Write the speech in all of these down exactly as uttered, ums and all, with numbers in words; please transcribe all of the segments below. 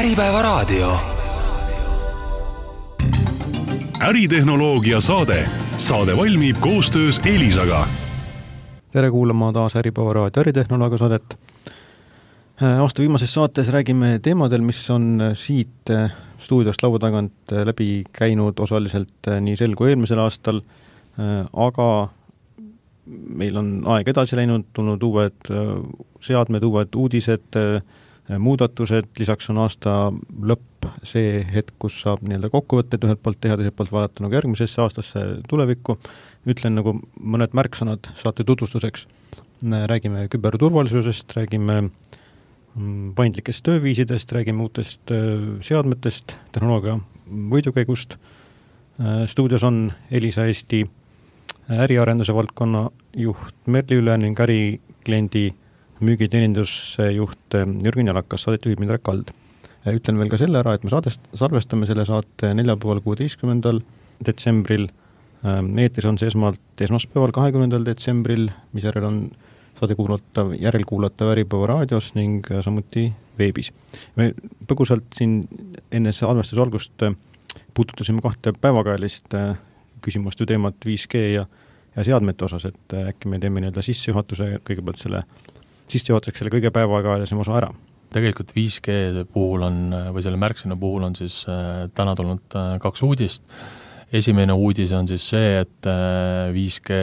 Äripäeva raadio. Äritehnoloogia saade. Saade valmib koostöös Elisaga. Tere kuulama taas Äripäeva raadio äritehnoloogia saadet. Aasta viimases saates räägime teemadel, mis on siit stuudiost laua tagant läbi käinud osaliselt nii sel kui eelmisel aastal, aga meil on aeg edasi läinud, tulnud uued seadmed, uued uudised, muudatused, lisaks on aasta lõpp see hetk, kus saab nii-öelda kokkuvõtteid ühelt poolt teha, teiselt poolt vaadata nagu järgmisesse aastasse tulevikku. Ütlen nagu mõned märksõnad saate tutvustuseks. Räägime küberturvalisusest, räägime paindlikest tööviisidest, räägime uutest seadmetest, tehnoloogia võidukäigust. Stuudios on Elisa Eesti äriarenduse valdkonna juht Merli Üle ning ärikliendi müügiteeninduse juht Jürgen Jalakas, saadet juhib Indrek Kald. Ütlen veel ka selle ära, et me saadest, salvestame selle saate neljapäeval kuueteistkümnendal detsembril. Eetris on see esmalt esmaspäeval kahekümnendal detsembril, mis järel on saade kuulatav, järelkuulatav Äripäeva raadios ning samuti veebis. Me põgusalt siin enne salvestuse algust puututasime kahte päevakajalist küsimuste teemat viis G ja, ja seadmete osas, et äkki me teeme nii-öelda sissejuhatuse kõigepealt selle sissejuhatuseks selle kõige päevakajalisem osa ära. Tegelikult viis G puhul on, või selle märksõna puhul on siis äh, täna tulnud äh, kaks uudist. Esimene uudis on siis see, et äh, viis G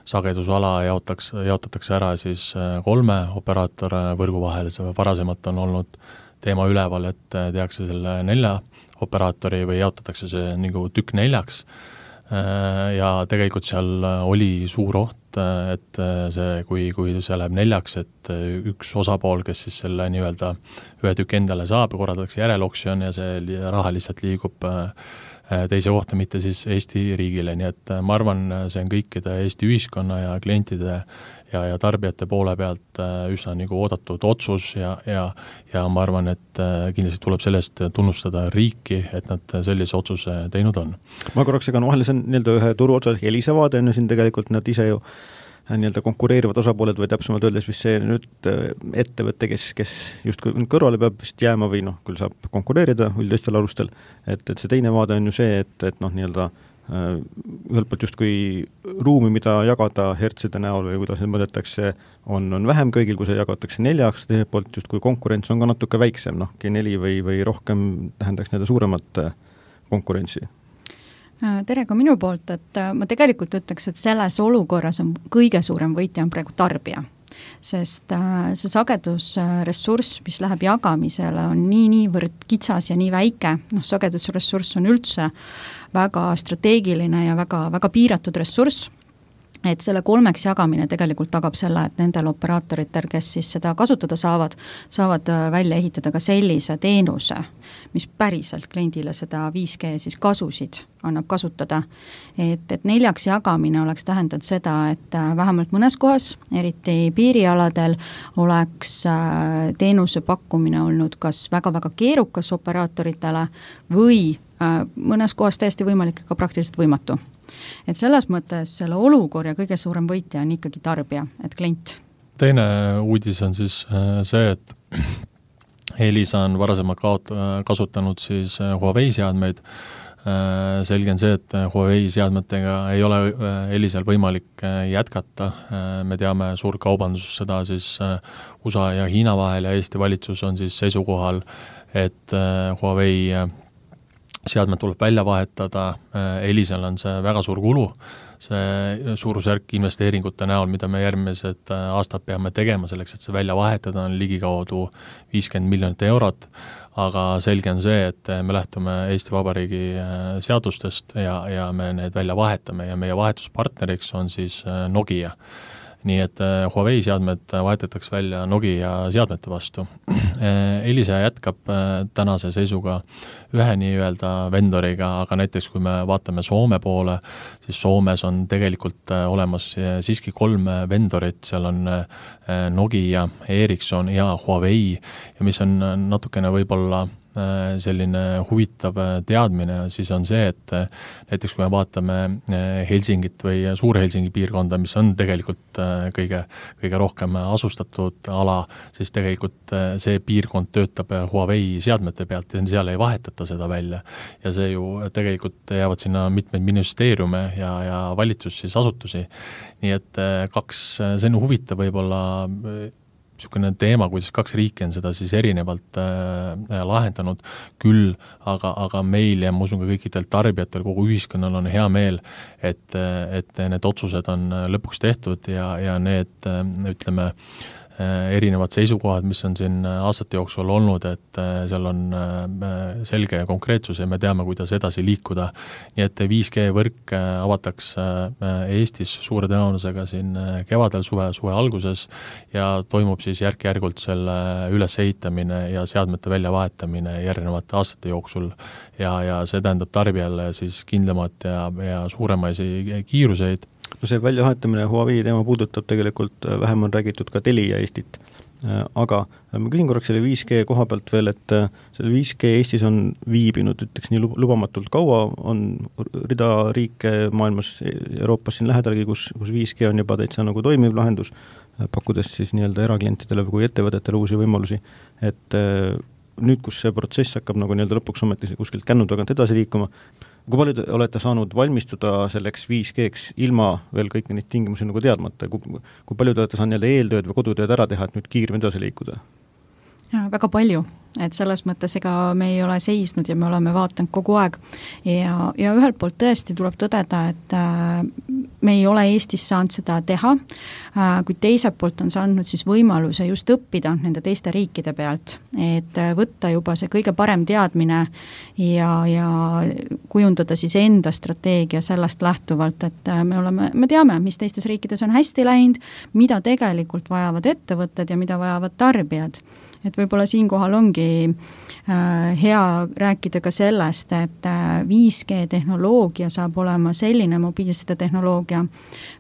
sagedusala jaotakse, jaotatakse ära siis äh, kolme operaator võrgu vahel. Varasemalt on olnud teema üleval, et äh, tehakse selle nelja operaatori või jaotatakse see nagu tükk neljaks. Äh, ja tegelikult seal oli suur oht, et see, kui, kui see läheb neljaks, et üks osapool, kes siis selle nii-öelda ühe tükk endale saab, korraldatakse järeloksjon ja see raha lihtsalt liigub teise kohta, mitte siis Eesti riigile. Nii et ma arvan, see on kõikide Eesti ühiskonna ja klientide ja, ja tarbijate poole pealt üsna nagu oodatud otsus ja, ja, ja ma arvan, et kindlasti tuleb sellest tunnustada riiki, et nad sellise otsuse teinud on. Ma korraks segan vahele, see on nii-öelda ühe turu otsas Elisa vaade, on siin tegelikult nad ise ju nii-öelda konkureerivad osapooled või täpsemalt öeldes vist see nüüd ettevõte, kes, kes justkui kõrvale peab vist jääma või noh, küll saab konkureerida üldistel alustel, et, et see teine vaade on ju see, et, et noh, nii-öelda ühelt poolt justkui ruumi, mida jagada hertside näol või kuidas need mõõdetakse, on, on vähem kõigil, kui see jagatakse neljaks, teiselt poolt justkui konkurents on ka natuke väiksem, noh, G neli või, või rohkem tähendaks nii-öelda suuremat konkurentsi. Tere ka minu poolt, et ma tegelikult ütleks, et selles olukorras on kõige suurem võitja on praegu tarbija, sest see sagedusressurss, mis läheb jagamisele, on nii niivõrd kitsas ja nii väike, noh, sagedusressurss on üldse väga strateegiline ja väga, väga piiratud ressurss, et selle kolmeks jagamine tegelikult tagab selle, et nendel operaatoritel, kes siis seda kasutada saavad, saavad välja ehitada ka sellise teenuse, mis päriselt kliendile seda viis G siis kasusid annab kasutada. Et, et neljaks jagamine oleks tähendanud seda, et vähemalt mõnes kohas, eriti piirialadel, oleks teenuse pakkumine olnud kas väga-väga keerukas operaatoritele või mõnes kohas täiesti võimalik ka praktiliselt võimatu. Et selles mõttes selle olukorra kõige suurem võitja on ikkagi tarbija, et klient. Teine uudis on siis see, et Elisa on varasemalt kaot- kasutanud siis Huawei seadmeid. Selge on see, et Huawei seadmetega ei ole Elisal võimalik jätkata. Me teame suur kaubandus seda siis U S A ja Hiina vahel ja Eesti valitsus on siis seisukohal, et Huawei seadmed tuleb välja vahetada, Elisal on see väga suur kulu, see suurusjärk investeeringute näol, mida me järgmised aastad peame tegema selleks, et see välja vahetada on ligikaudu viiskümmend miljonit eurot, aga selge on see, et me lähtume Eesti Vabariigi seadustest ja, ja me need välja vahetame ja meie vahetuspartneriks on siis Nokia. Nii et Huawei seadmed vahetatakse välja Nokia seadmete vastu. Elisa jätkab tänase seisuga ühe nii-öelda vendoriga, aga näiteks kui me vaatame Soome poole, siis Soomes on tegelikult olemas siiski kolm vendorit, seal on Nokia, Ericsson ja Huawei ja mis on natukene võib-olla selline huvitav teadmine, siis on see, et näiteks kui me vaatame Helsingit või Suur-Helsingi piirkonda, mis on tegelikult kõige, kõige rohkem asustatud ala, siis tegelikult see piirkond töötab Huawei seadmete pealt ja seal ei vahetata seda välja. Ja see ju tegelikult jäävad sinna mitmeid ministeeriume ja, ja valitsus siis asutusi. Nii et kaks, see on huvitav võib-olla niisugune teema, kuidas kaks riiki on seda siis erinevalt äh, lahendanud küll, aga, aga meil ja ma usun ka kõikidel tarbijatel, kogu ühiskonnal on hea meel, et, et need otsused on lõpuks tehtud ja, ja need, ütleme, erinevad seisukohad, mis on siin aastate jooksul olnud, et seal on selge ja konkreetsus ja me teame, kuidas edasi liikuda. Nii et viis G võrk avatakse Eestis suure tõenäosusega siin kevadel, suve, suve alguses ja toimub siis järk-järgult selle ülesehitamine ja seadmete väljavahetamine järgnevate aastate jooksul ja, ja see tähendab tarbijale siis kindlamat ja, ja suuremaisi kiiruseid. No see väljavahetamine Huawei teema puudutab tegelikult, vähem on räägitud ka Telia Eestit, aga ma küsin korraks selle viis G koha pealt veel, et selle viis G Eestis on viibinud, ütleks nii lubamatult kaua, on rida riike maailmas, Euroopas siin lähedalgi, kus, kus viis G on juba täitsa nagu toimiv lahendus, pakkudes siis nii-öelda eraklientidele kui ettevõtetele uusi võimalusi, et nüüd, kus see protsess hakkab nagu nii-öelda lõpuks ometi kuskilt kännu tagant edasi liikuma, kui palju te olete saanud valmistuda selleks viis G-ks ilma veel kõiki neid tingimusi nagu teadmata, kui, kui palju te olete saanud nii-öelda eeltööd või kodutööd ära teha, et nüüd kiirem edasi liikuda? Ja, väga palju, et selles mõttes ega me ei ole seisnud ja me oleme vaatanud kogu aeg ja, ja ühelt poolt tõesti tuleb tõdeda, et äh, me ei ole Eestis saanud seda teha, äh, kui teiselt poolt on saanud siis võimaluse just õppida nende teiste riikide pealt, et äh, võtta juba see kõige parem teadmine ja, ja kujundada siis enda strateegia sellest lähtuvalt, et äh, me oleme, me teame, mis teistes riikides on hästi läinud, mida tegelikult vajavad ettevõtted ja mida vajavad tarbijad. Et võib-olla siinkohal ongi äh, hea rääkida ka sellest, et äh, viis G tehnoloogia saab olema selline mobiilside tehnoloogia,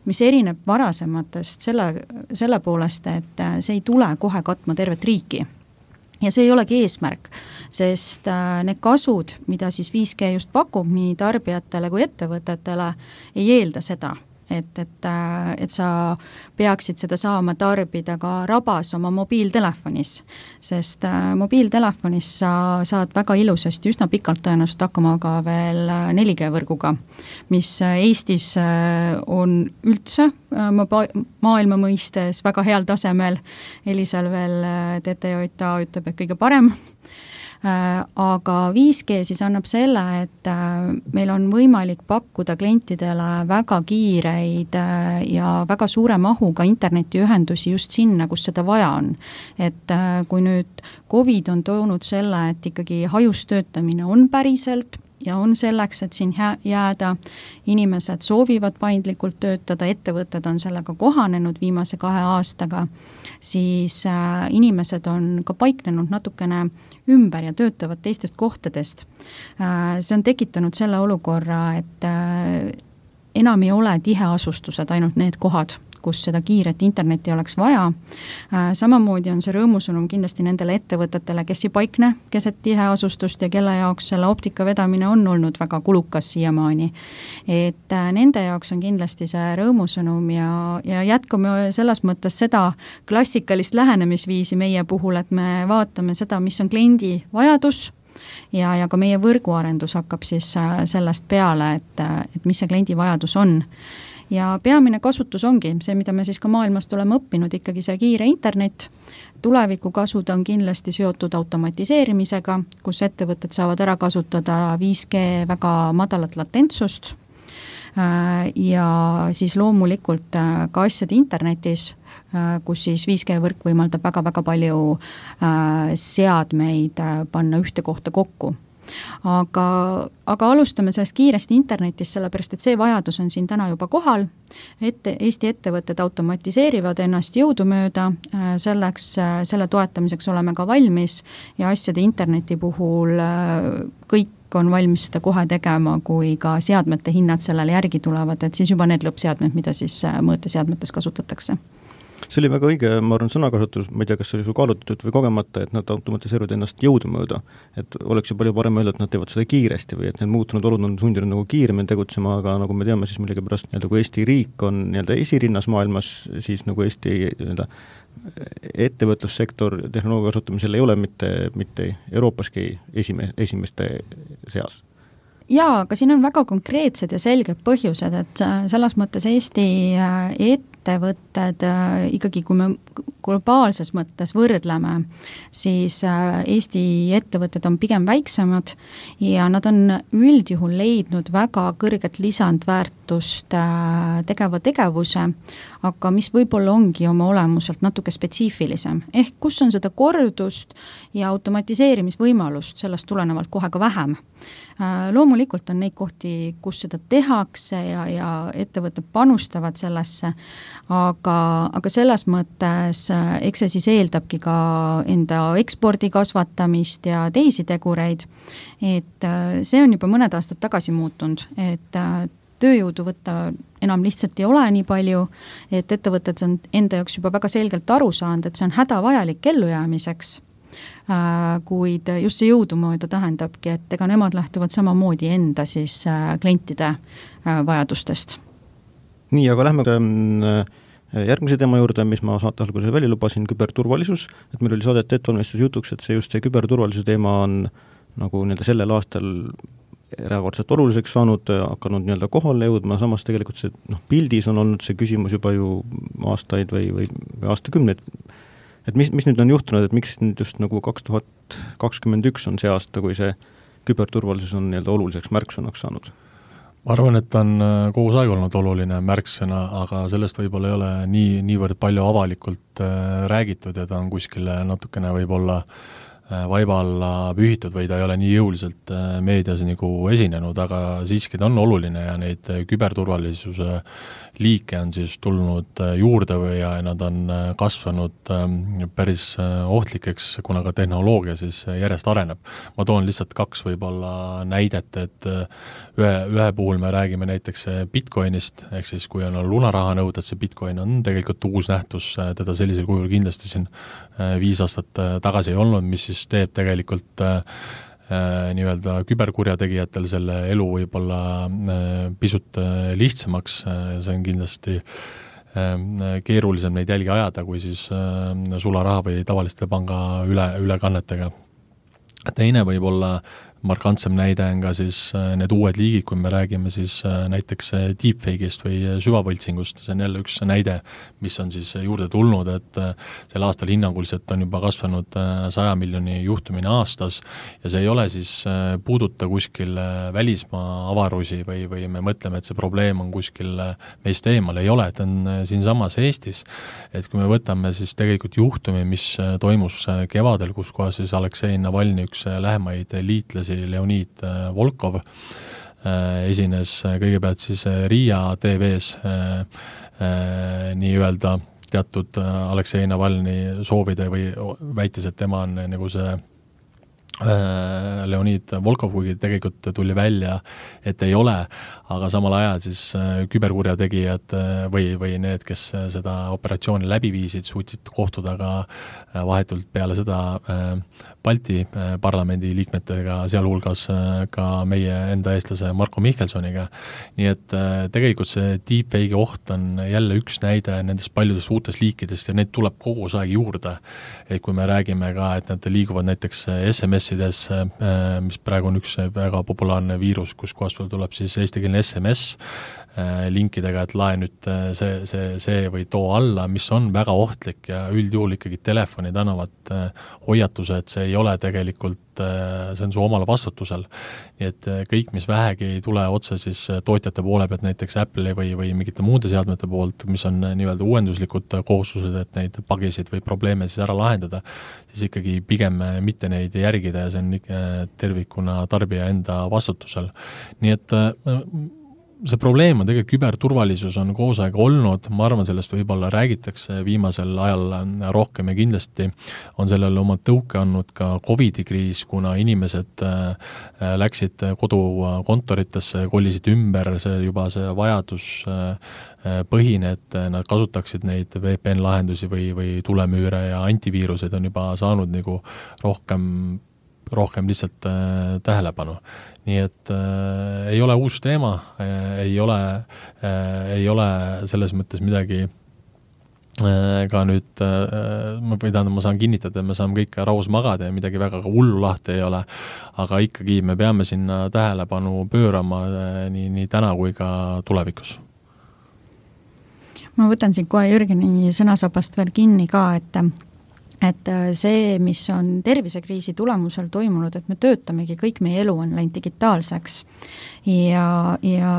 mis erineb varasematest selle, selle poolest, et äh, see ei tule kohe katma tervet riiki. Ja see ei olegi eesmärk, sest äh, need kasud, mida siis viis G just pakub nii tarbijatele kui ettevõtetele, ei eelda seda. Et, et, et sa peaksid seda saama tarbida ka rabas oma mobiiltelefonis, sest mobiiltelefonis sa saad väga ilusasti üsna pikalt tõenäoliselt hakkama ka veel neli G võrguga, mis Eestis on üldse maailma mõistes väga heal tasemel, Elisal veel T T J A ütleb, et kõige parem. Aga viis G siis annab selle, et meil on võimalik pakkuda klientidele väga kiireid ja väga suure mahuga internetiühendusi just sinna, kus seda vaja on. Et kui nüüd Covid on toonud selle, et ikkagi hajus töötamine on päriselt ja on selleks, et siin jääda, inimesed soovivad paindlikult töötada, ettevõtted on sellega kohanenud viimase kahe aastaga, siis äh, inimesed on ka paiknenud natukene ümber ja töötavad teistest kohtadest. Äh, see on tekitanud selle olukorra, et äh, enam ei ole tiheasustused ainult need kohad, kus seda kiiret internetti oleks vaja. Samamoodi on see rõõmusõnum kindlasti nendele ettevõtetele, kes ei paikne keset tiheasustust ja kelle jaoks selle optika vedamine on olnud väga kulukas siiamaani. Et nende jaoks on kindlasti see rõõmusõnum ja, ja jätkame selles mõttes seda klassikalist lähenemisviisi meie puhul, et me vaatame seda, mis on kliendi vajadus, ja, ja ka meie võrguarendus hakkab siis sellest peale, et, et mis see kliendi vajadus on. Ja peamine kasutus ongi see, mida me siis ka maailmast oleme õppinud, ikkagi see kiire internet. Tuleviku kasud on kindlasti seotud automatiseerimisega, kus ettevõtted saavad ära kasutada viis G väga madalat latentsust ja siis loomulikult ka asjade internetis, kus siis viis G võrk võimaldab väga-väga palju seadmeid panna ühte kohta kokku. Aga, aga alustame sellest kiiresti internetis, sellepärast et see vajadus on siin täna juba kohal. Ette, Eesti ettevõtted automatiseerivad ennast jõudumööda, selleks, selle toetamiseks oleme ka valmis ja asjade interneti puhul kõik on valmis seda kohe tegema, kui ka seadmete hinnad sellele järgi tulevad, et siis juba need lõppseadmed, mida siis mõõteseadmetes kasutatakse. See oli väga õige, ma arvan, sõnakasutus, ma ei tea, kas see oli sul kaalutatud või kogemata, et nad automatiseeruvad ennast jõudumööda. Et oleks ju palju parem öelda, et nad teevad seda kiiresti või et need muutunud olud on sundinud nagu kiiremini tegutsema, aga nagu me teame, siis millegi pärast nii-öelda, kui Eesti riik on nii-öelda esirinnas maailmas, siis nagu Eesti nii-öelda ettevõtlussektor tehnoloogia kasutamisel ei ole mitte, mitte Euroopaski esime, esimeste seas. Jaa, aga siin on väga konkreetsed ja selged põhjused, et selles mõttes Eesti ettevõtted ikkagi, kui me globaalses mõttes võrdleme, siis Eesti ettevõtted on pigem väiksemad ja nad on üldjuhul leidnud väga kõrget lisandväärtust tegeva tegevuse, aga mis võib-olla ongi oma olemuselt natuke spetsiifilisem. Ehk kus on seda kordust ja automatiseerimisvõimalust sellest tulenevalt kohe ka vähem. Loomulikult on neid kohti, kus seda tehakse ja, ja ettevõtted panustavad sellesse, aga, aga selles mõttes eks see siis eeldabki ka enda ekspordi kasvatamist ja teisi tegureid, et see on juba mõned aastad tagasi muutunud, et tööjõudu võtta enam lihtsalt ei ole nii palju, et ettevõtted on enda jaoks juba väga selgelt aru saanud, et see on hädavajalik ellujäämiseks, kuid just see jõudumööda tähendabki, et ega nemad lähtuvad samamoodi enda siis klientide vajadustest. Nii, aga lähme järgmise teema juurde, mis ma saate alguses välja lubasin, küberturvalisus, et meil oli saadete ettevalmistus jutuks, et see just see küberturvalisuse teema on nagu nii-öelda sellel aastal erakordselt oluliseks saanud, hakanud nii-öelda kohale jõudma, samas tegelikult see noh, pildis on olnud see küsimus juba ju aastaid või, või, või aastakümneid. Et mis, mis nüüd on juhtunud, et miks nüüd just nagu kaks tuhat kakskümmend üks on see aasta, kui see küberturvalisus on nii-öelda oluliseks märksõnaks saanud? Ma arvan, et on kogu aeg olnud oluline märksõna, aga sellest võib-olla ei ole nii, niivõrd palju avalikult räägitud ja ta on kuskile natukene võib-olla vaiba alla pühitud või ta ei ole nii jõuliselt meedias nagu esinenud, aga siiski ta on oluline ja neid küberturvalisuse liike on siis tulnud juurde või ja nad on kasvanud päris ohtlikeks, kuna ka tehnoloogia siis järjest areneb. Ma toon lihtsalt kaks võib-olla näidet, et ühe, ühe puhul me räägime näiteks Bitcoinist, ehk siis kui on lunaraha nõuded, see Bitcoin on tegelikult uus nähtus, teda sellisel kujul kindlasti siin viis aastat tagasi ei olnud, mis siis teeb tegelikult nii-öelda küberkurjategijatel selle elu võib-olla pisut lihtsamaks, see on kindlasti keerulisem neid jälgi ajada, kui siis sularaha või tavaliste panga üle, ülekannetega. Teine võib olla markantsem näide on ka siis need uued liigid, kui me räägime siis näiteks deepfake'ist või süvavõltsingust, see on jälle üks näide, mis on siis juurde tulnud, et sel aastal hinnanguliselt on juba kasvanud saja miljoni juhtumine aastas ja see ei ole siis puuduta kuskil välismaa avarusi või, või me mõtleme, et see probleem on kuskil meist eemal, ei ole, et on siin samas Eestis, et kui me võtame siis tegelikult juhtumi, mis toimus kevadel, kus kohas siis Aleksei Navalny, üks lähemaid liitlasi Leonid Volkov esines kõigepealt siis Riia T V-s nii-öelda teatud Aleksei Navalny soovide või väitis, et tema on nagu see Leonid Volkov, kuigi tegelikult tuli välja, et ei ole, aga samal ajal siis küberkurjategijad või, või need, kes seda operatsiooni läbi viisid, suutsid kohtuda ka vahetult peale seda Balti parlamendi liikmetega, sealhulgas ka meie enda eestlase Marko Mihkelsoniga. Nii et tegelikult see deepfake oht on jälle üks näide nendest paljudest uutest liikidest ja neid tuleb kogu aeg juurde. Et kui me räägime ka, et nad liiguvad näiteks S M S-ides, mis praegu on üks väga populaarne viirus, kus kohast tuleb siis eestikeelne S M S linkidega, et lae nüüd see, see, see või too alla, mis on väga ohtlik ja üldjuhul ikkagi telefonid annavad hoiatuse, et see ei ole tegelikult, see on su omal vastutusel. Nii et kõik, mis vähegi ei tule otse siis tootjate poole pealt, näiteks Apple'i või, või mingite muude seadmete poolt, mis on nii-öelda uuenduslikud kohustused, et neid pagisid või probleeme siis ära lahendada, siis ikkagi pigem mitte neid järgida ja see on tervikuna tarbija enda vastutusel. Nii et see probleem on tegelikult küberturvalisus on koos aega olnud, ma arvan, sellest võib-olla räägitakse viimasel ajal rohkem ja kindlasti on sellele oma tõuke andnud ka Covidi kriis, kuna inimesed läksid kodukontoritesse, kolisid ümber, see juba see vajadus põhine, et nad kasutaksid neid V P N-lahendusi või, või tulemüüre ja antiviiruseid on juba saanud nagu rohkem rohkem lihtsalt äh, tähelepanu. Nii et äh, ei ole uus teema, äh, ei ole, äh, ei ole selles mõttes midagi äh, ka nüüd, äh, ma võidan, ma saan kinnitada, et me saame kõik raus magada ja midagi väga hullu lahti ei ole, aga ikkagi me peame sinna tähelepanu pöörama äh, nii, nii täna kui ka tulevikus. Ma võtan siin kohe Jürgeni sõnasabast veel kinni ka, et et see, mis on tervisekriisi tulemusel toimunud, et me töötamegi, kõik meie elu on läinud digitaalseks ja, ja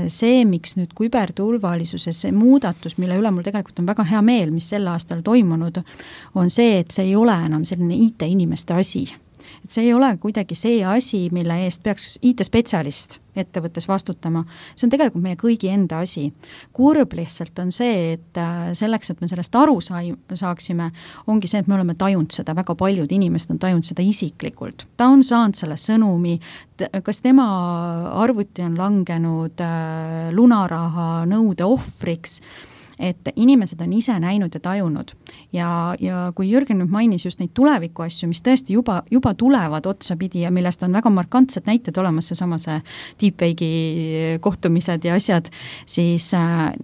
see, miks nüüd küberturvalisuses see muudatus, mille üle mul tegelikult on väga hea meel, mis sel aastal toimunud, on see, et see ei ole enam selline I T-inimeste asi. Et see ei ole kuidagi see asi, mille eest peaks I T-spetsialist ettevõttes vastutama. See on tegelikult meie kõigi enda asi. Kurb lihtsalt on see, et selleks, et me sellest aru saaksime, ongi see, et me oleme tajunud seda, väga paljud inimesed on tajunud seda isiklikult. Ta on saanud selle sõnumi, kas tema arvuti on langenud lunaraha nõude ohvriks, et inimesed on ise näinud ja tajunud. Ja, ja kui Jürgen nüüd mainis just neid tuleviku asju, mis tõesti juba, juba tulevad otsapidi ja millest on väga markantsed näited olemas, seesama see deepfake'i kohtumised ja asjad, siis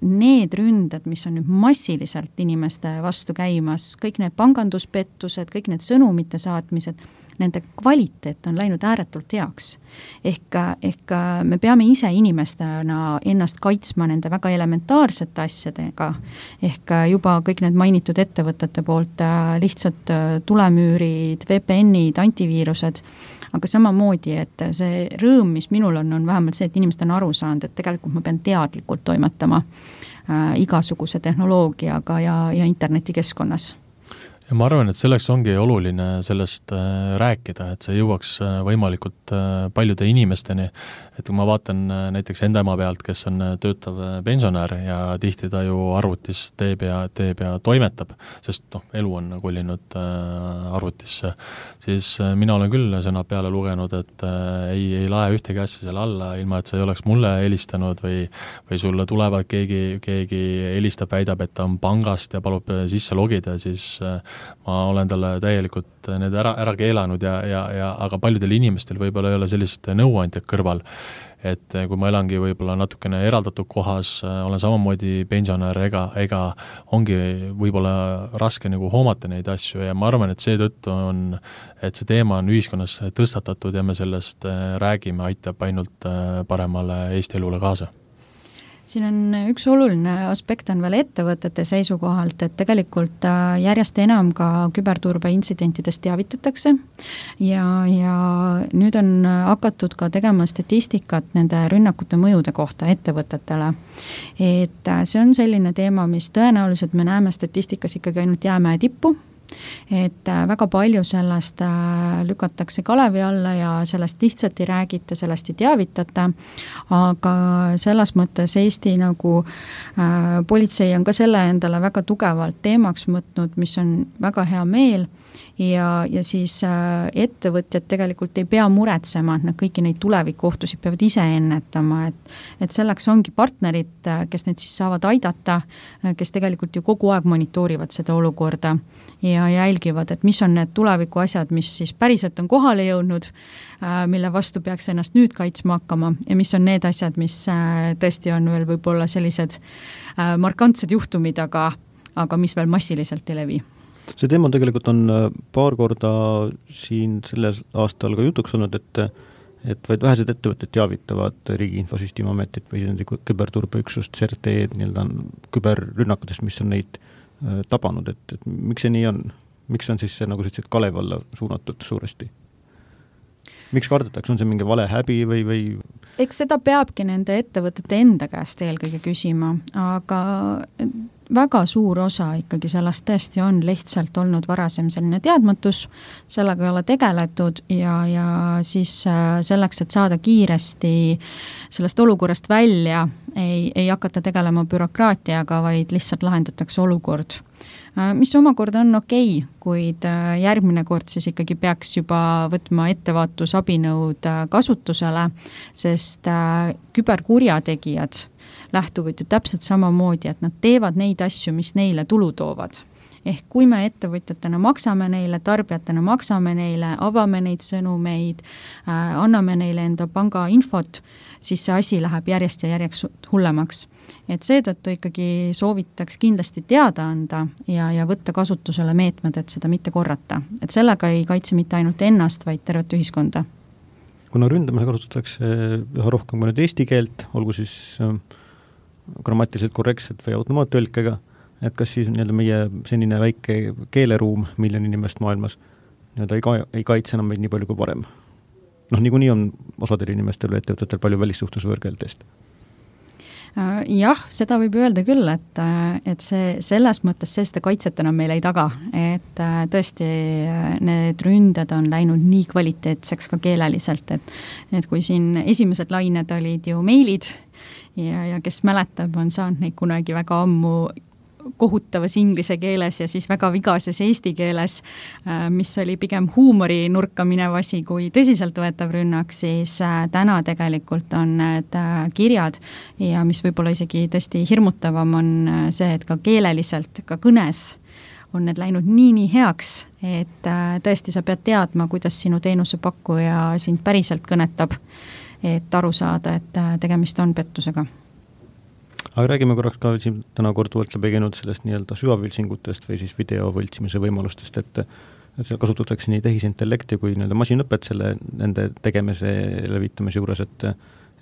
need ründed, mis on nüüd massiliselt inimeste vastu käimas, kõik need panganduspettused, kõik need sõnumite saatmised, nende kvaliteet on läinud ääretult heaks. Ehk, ehk me peame ise inimestena ennast kaitsma nende väga elementaarsete asjadega. Ehk juba kõik need mainitud ettevõtete poolt lihtsalt tulemüürid, V P N-id, antiviirused, aga samamoodi, et see rõõm, mis minul on, on vähemalt see, et inimesed on aru saanud, et tegelikult ma pean teadlikult toimetama äh, igasuguse tehnoloogiaga ja, ja internetikeskkonnas. Ja ma arvan, et selleks ongi oluline sellest rääkida, et see jõuaks võimalikult paljude inimesteni, et kui ma vaatan näiteks enda ema pealt, kes on töötav pensionär ja tihti ta ju arvutis teeb ja, teeb ja toimetab, sest noh, elu on kolinud arvutisse, siis mina olen küll sõna peale lugenud, et ei, ei lae ühtegi asja selle alla, ilma et see ei oleks mulle helistanud või, või sulle tulevad keegi, keegi helistab, väidab, et ta on pangast ja palub sisse logida, siis ma olen talle täielikult need ära, ära keelanud ja, ja, ja aga paljudel inimestel võib-olla ei ole sellist nõuandjad kõrval, et kui ma elangi võib-olla natukene eraldatud kohas, olen samamoodi pensionär, ega, ega ongi võib-olla raske nagu hoomata neid asju ja ma arvan, et seetõttu on, et see teema on ühiskonnas tõstatatud ja me sellest räägime, aitab ainult paremale Eesti elule kaasa. Siin on üks oluline aspekt on veel ettevõtete seisukohalt, et tegelikult järjest enam ka küberturbe intsidentidest teavitatakse ja, ja nüüd on hakatud ka tegema statistikat nende rünnakute mõjude kohta ettevõtetele. Et see on selline teema, mis tõenäoliselt me näeme statistikas ikkagi ainult jäämäe tippu, et väga palju sellest lükatakse kalevi alla ja sellest lihtsalt ei räägita, sellest ei teavitata, aga selles mõttes Eesti nagu äh, politsei on ka selle endale väga tugevalt teemaks võtnud, mis on väga hea meel ja, ja siis äh, ettevõtjad tegelikult ei pea muretsema, et nad kõiki neid tulevikuohtusid peavad ise ennetama, et, et selleks ongi partnerid, kes neid siis saavad aidata, kes tegelikult ju kogu aeg monitoorivad seda olukorda ja jälgivad, et mis on need tuleviku asjad, mis siis päriselt on kohale jõudnud, mille vastu peaks ennast nüüd kaitsma hakkama ja mis on need asjad, mis tõesti on veel võib-olla sellised markantsed juhtumid, aga, aga mis veel massiliselt ei levi. See teema tegelikult on paar korda siin selles aastal ka jutuks olnud, et, et vaid vähesed ettevõtted teavitavad Riigi Infosüsteemi Ametit või küberturbeüksust C E R T nii-öelda küberrünnakutest, mis on neid tabanud, et, et miks see nii on? Miks on siis see nagu sellised kalev alla suunatud suuresti? miks kardetakse, on see mingi vale häbi või, või? Eks seda peabki nende ettevõtete enda käest eelkõige küsima, aga väga suur osa ikkagi sellest tõesti on lihtsalt olnud varasem selline teadmatus, sellega ei ole tegeletud ja, ja siis selleks, et saada kiiresti sellest olukorrast välja, ei, ei hakata tegelema bürokraatiaga, vaid lihtsalt lahendatakse olukord. Mis omakorda on okei, kuid järgmine kord siis ikkagi peaks juba võtma ettevaatusabinõud kasutusele, sest küberkurjategijad lähtuvad ju täpselt samamoodi, et nad teevad neid asju, mis neile tulu toovad. Ehk kui me ettevõtjatena maksame neile, tarbijatena maksame neile, avame neid sõnumeid, anname neile enda panga infot, siis see asi läheb järjest ja järjest hullemaks. Et seetõttu ikkagi soovitaks kindlasti teada anda ja, ja võtta kasutusele meetmed, et seda mitte korrata. Et sellega ei kaitse mitte ainult ennast, vaid tervet ühiskonda. Kuna ründamise kasutatakse üha rohkem kui nüüd eesti keelt, olgu siis grammatiliselt korrektselt või automaattõlkega, et kas siis nii-öelda meie senine väike keeleruum miljon inimest maailmas nii-öelda ei, ka, ei kaitse enam meid nii palju kui varem. Noh, niikuinii on osadel inimestel või ettevõtetel palju välissuhtlusvõõrkeeltest. Jah, seda võib öelda küll, et, et see, selles mõttes see seda kaitset enam meile ei taga, et tõesti need ründed on läinud nii kvaliteetseks ka keeleliselt, et, et kui siin esimesed lained olid ju meilid ja, ja kes mäletab, on saanud neid kunagi väga ammu kohutavas inglise keeles ja siis väga vigases eesti keeles, mis oli pigem huumori nurka minev asi kui tõsiselt võetav rünnak, siis täna tegelikult on need kirjad ja mis võib-olla isegi tõesti hirmutavam on see, et ka keeleliselt, ka kõnes on need läinud nii, nii heaks, et tõesti sa pead teadma, kuidas sinu teenusepakkuja sind päriselt kõnetab, et aru saada, et tegemist on pettusega. Aga räägime korraks ka siin täna korduvalt läbi käinud sellest nii-öelda süvavõltsingutest või siis videovõltsimise võimalustest, et, et seal kasutatakse nii tehisintellekti kui nii-öelda masinõpet selle nende tegemise levitamise juures, et,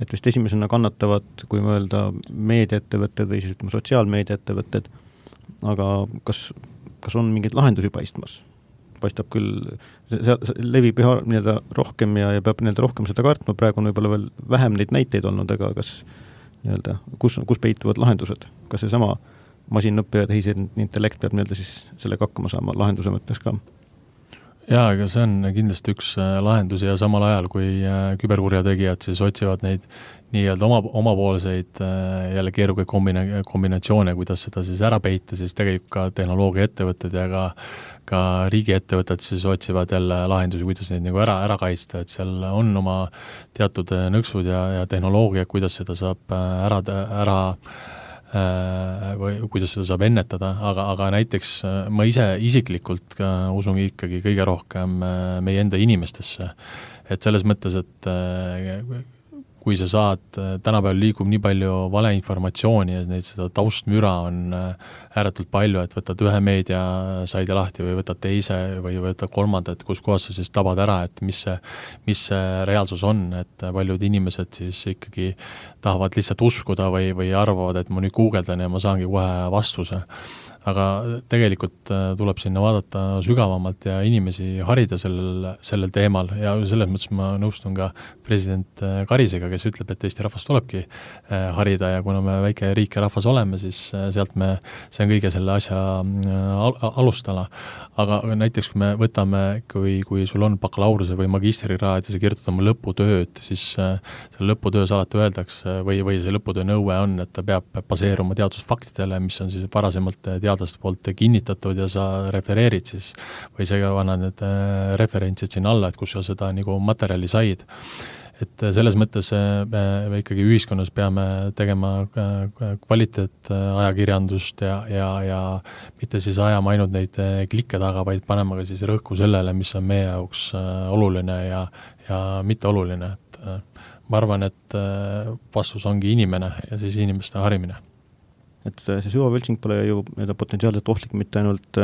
et vist esimesena kannatavad, kui mõelda meediaettevõtted või siis ütleme sotsiaalmeediaettevõtted, aga kas, kas on mingeid lahendusi paistmas? Paistab küll, see, see levib üha nii-öelda rohkem ja, ja peab nii-öelda rohkem seda kartma, praegu on võib-olla veel vähem neid näiteid olnud, aga kas nii-öelda, kus, kus peituvad lahendused? Kas see sama masinõppe ja tehisintellekt peab nii-öelda siis sellega hakkama saama lahenduse mõttes ka? Jaa, aga see on kindlasti üks lahendusi ja samal ajal, kui küberkurjategijad siis otsivad neid nii-öelda oma, omapoolseid jälle keerukaid kombina- kombinatsioone, kuidas seda siis ära peita, siis tegelikult ka tehnoloogia ettevõtted ja ka, ka riigiettevõtted siis otsivad jälle lahendusi, kuidas neid nagu ära, ära kaitsta, et seal on oma teatud nõksud ja, ja tehnoloogia, kuidas seda saab ära, ära või kuidas seda saab ennetada, aga, aga näiteks ma ise isiklikult ka usun ikkagi kõige rohkem meie enda inimestesse. Et selles mõttes, et kui sa saad, tänapäeval liigub nii palju valeinformatsiooni ja neid seda taustmüra on ääretult palju, et võtad ühe meedia saidi lahti või võtad teise või võtad kolmandat, kus kohas sa siis tabad ära, et mis see, mis see reaalsus on, et paljud inimesed siis ikkagi tahavad lihtsalt uskuda või, või arvavad, et ma nüüd guugeldan ja ma saangi kohe vastuse. Aga tegelikult tuleb sinna vaadata sügavamalt ja inimesi harida sellel, sellel teemal ja selles mõttes ma nõustun ka president Karisega, kes ütleb, et Eesti rahvas tulebki harida ja kuna me väike riik ja rahvas oleme, siis sealt me, see on kõige selle asja alustala. Aga näiteks kui me võtame, kui, kui sul on bakalaureuse või magistrikraad ja sa kirjutad oma lõputööd, siis selle lõputöös alati öeldakse või, või see lõputöö nõue on, et ta peab baseeruma teadusfaktidele, mis on siis varasemalt teadlaste poolt kinnitatud ja sa refereerid siis või sa annad need referentsid sinna alla, et kus sa seda nagu materjali said. Et selles mõttes me ikkagi ühiskonnas peame tegema kvaliteet ajakirjandust ja, ja, ja mitte siis ajama ainult neid klikke taga, vaid panema ka siis rõhku sellele, mis on meie jaoks oluline ja, ja mitte oluline. Et ma arvan, et vastus ongi inimene ja siis inimeste harimine. Et see süvavõltsing pole ju potentsiaalselt ohtlik mitte ainult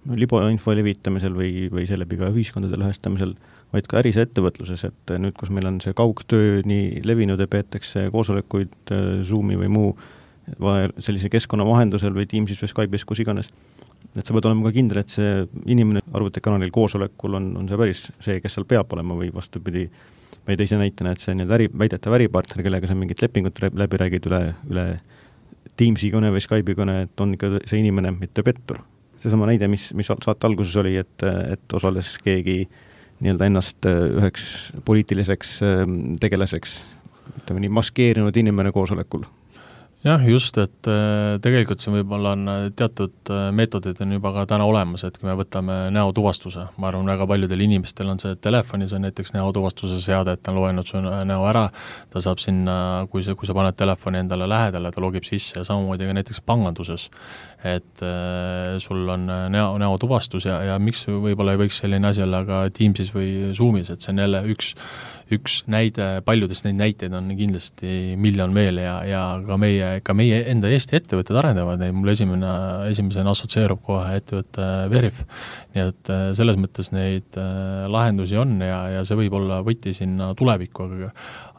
libainfo levitamisel või, või seeläbi ka ühiskondade lõhestamisel, vaid ka äris ettevõtluses, et nüüd, kus meil on see kaugtöö nii levinud ja peetakse koosolekuid Zoomi või muu sellise keskkonna vahendusel või Teamsis või Skype'is, kus iganes. Et sa pead olema ka kindel, et see inimene arvutikanalil koosolekul on, on see päris see, kes seal peab olema või vastupidi, või teise näitena, et see nii äri, väidetav äripartner, kellega sa mingit lepingut läbi räägid üle, üle Teamsi kõne või Skype'i kõne, et on ikka see inimene, mitte pettur. Seesama näide, mis, mis saate alguses oli, et, et osales keegi nii-öelda ennast üheks poliitiliseks tegelaseks, ütleme nii, maskeerinud inimene koosolekul. Jah, just, et tegelikult siin võib-olla on teatud meetodid on juba ka täna olemas, et kui me võtame näotuvastuse, ma arvan, väga paljudel inimestel on see telefonis on näiteks näotuvastuse seade, et ta on loenud su näo ära, ta saab sinna, kui, see, kui sa paned telefoni endale lähedale, ta logib sisse ja samamoodi ka näiteks panganduses, et äh, sul on näo, näotuvastus ja, ja miks võib-olla ei võiks selline asi olla ka Teamsis või Zoomis, et see on jälle üks üks näide, paljudest neid näiteid on kindlasti miljon veel ja, ja ka meie, ka meie enda Eesti ettevõtted arendavad neid, mul esimene, esimesena assotsieerub kohe ettevõtte Veriff, nii et selles mõttes neid lahendusi on ja, ja see võib olla võti sinna tulevikku, aga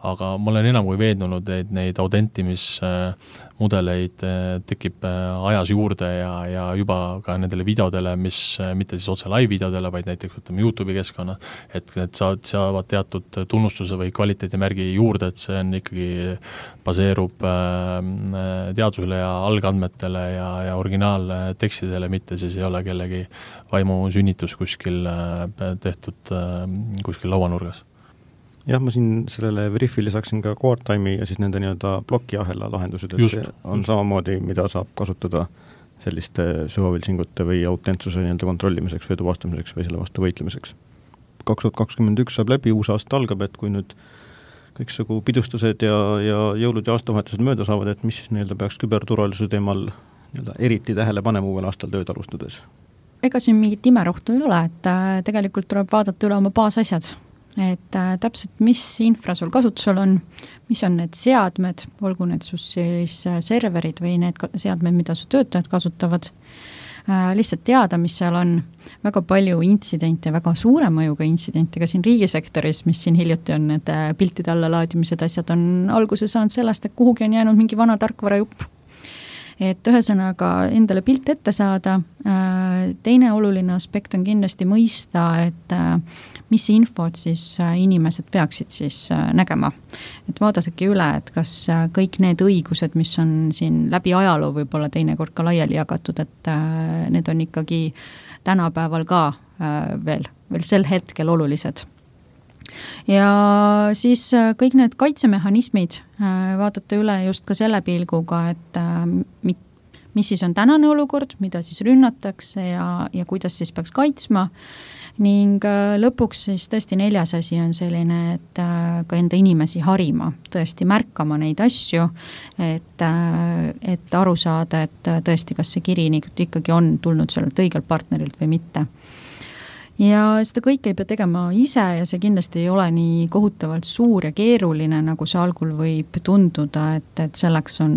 aga ma olen enam kui veednunud, et neid autentimismudeleid tekib ajas juurde ja, ja juba ka nendele videodele, mis mitte siis otse live-videodele, vaid näiteks võtame YouTube'i keskkonna, et need saavad, saavad teatud tunnustuse või kvaliteedimärgi juurde, et see on ikkagi baseerub teadusele ja algandmetele ja, ja originaaltekstidele, mitte siis ei ole kellegi vaimu sünnitus kuskil tehtud kuskil lauanurgas. Jah, ma siin sellele Veriffile saaksin ka QuartTime'i ja siis nende nii-öelda plokiahela lahendused, et Just. see on samamoodi, mida saab kasutada selliste süvavilsingute või autentsuse nii-öelda kontrollimiseks või tuvastamiseks või selle vastu võitlemiseks. kaks tuhat kakskümmend üks saab läbi, uus aasta algab, et kui nüüd kõiksugu pidustused ja, ja jõulud ja aastavahetused mööda saavad, et mis siis nii-öelda peaks küberturvalisuse teemal nii-öelda eriti tähele panema uuel aastal tööd alustades? Ega siin mingit imerohtu ei ole, et tegelikult tuleb vaadata üle oma baasasjad. Et äh, täpselt, mis infra sul kasutusel on, mis on need seadmed, olgu need sus siis serverid või need seadmed, mida su töötajad kasutavad, äh, lihtsalt teada, mis seal on, väga palju intsidente, väga suure mõjuga intsidente ka siin riigisektoris, mis siin hiljuti on, need piltide alla laadimised asjad on alguse saanud sellest, et kuhugi on jäänud mingi vana tarkvarajupp. Et ühesõnaga endale pilt ette saada, äh, teine oluline aspekt on kindlasti mõista, et äh, mis infot siis inimesed peaksid siis nägema. Et vaadatagi üle, et kas kõik need õigused, mis on siin läbi ajaloo võib-olla teinekord ka laiali jagatud, et need on ikkagi tänapäeval ka veel, veel sel hetkel olulised. Ja siis kõik need kaitsemehhanismid vaatate üle just ka selle pilguga, et mis siis on tänane olukord, mida siis rünnatakse ja, ja kuidas siis peaks kaitsma. Ning lõpuks siis tõesti neljas asi on selline, et ka enda inimesi harima, tõesti märkama neid asju, et, et aru saada, et tõesti, kas see kiri ikkagi on tulnud sellelt õigelt partnerilt või mitte. Ja seda kõike ei pea tegema ise ja see kindlasti ei ole nii kohutavalt suur ja keeruline, nagu see algul võib tunduda, et, et selleks on,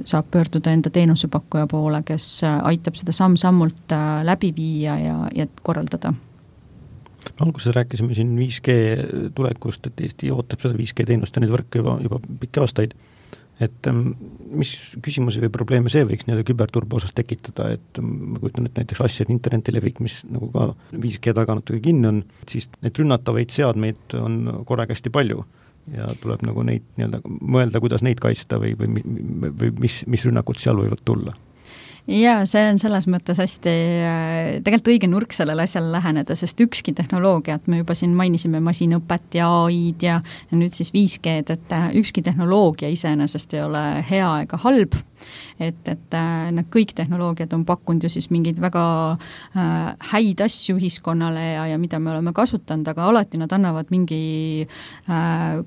saab pöörduda enda teenusepakkuja poole, kes aitab seda samm-sammult läbi viia ja, ja korraldada. Alguses rääkisime siin viis G tulekust, et Eesti ootab seda viis G teenust ja neid võrke juba, juba pikki aastaid. Et mis küsimusi või probleeme see võiks nii-öelda küberturbe osas tekitada, et ma kujutan, et näiteks asjad interneti levik, mis nagu ka viis G taga natuke kinni on, siis need rünnatavaid seadmeid on korraga hästi palju ja tuleb nagu neid nii-öelda mõelda, kuidas neid kaitsta või, või, või mis, mis rünnakud seal võivad tulla. Ja see on selles mõttes hästi tegelikult õige nurk sellele asjale läheneda, sest ükski tehnoloogiat, me juba siin mainisime masinõpet ja A I-d ja, ja nüüd siis viis G-d, et ükski tehnoloogia iseenesest ei ole hea ega halb, et, et need kõik tehnoloogiad on pakkunud ju siis mingeid väga äh, häid asju ühiskonnale ja, ja mida me oleme kasutanud, aga alati nad annavad mingi äh,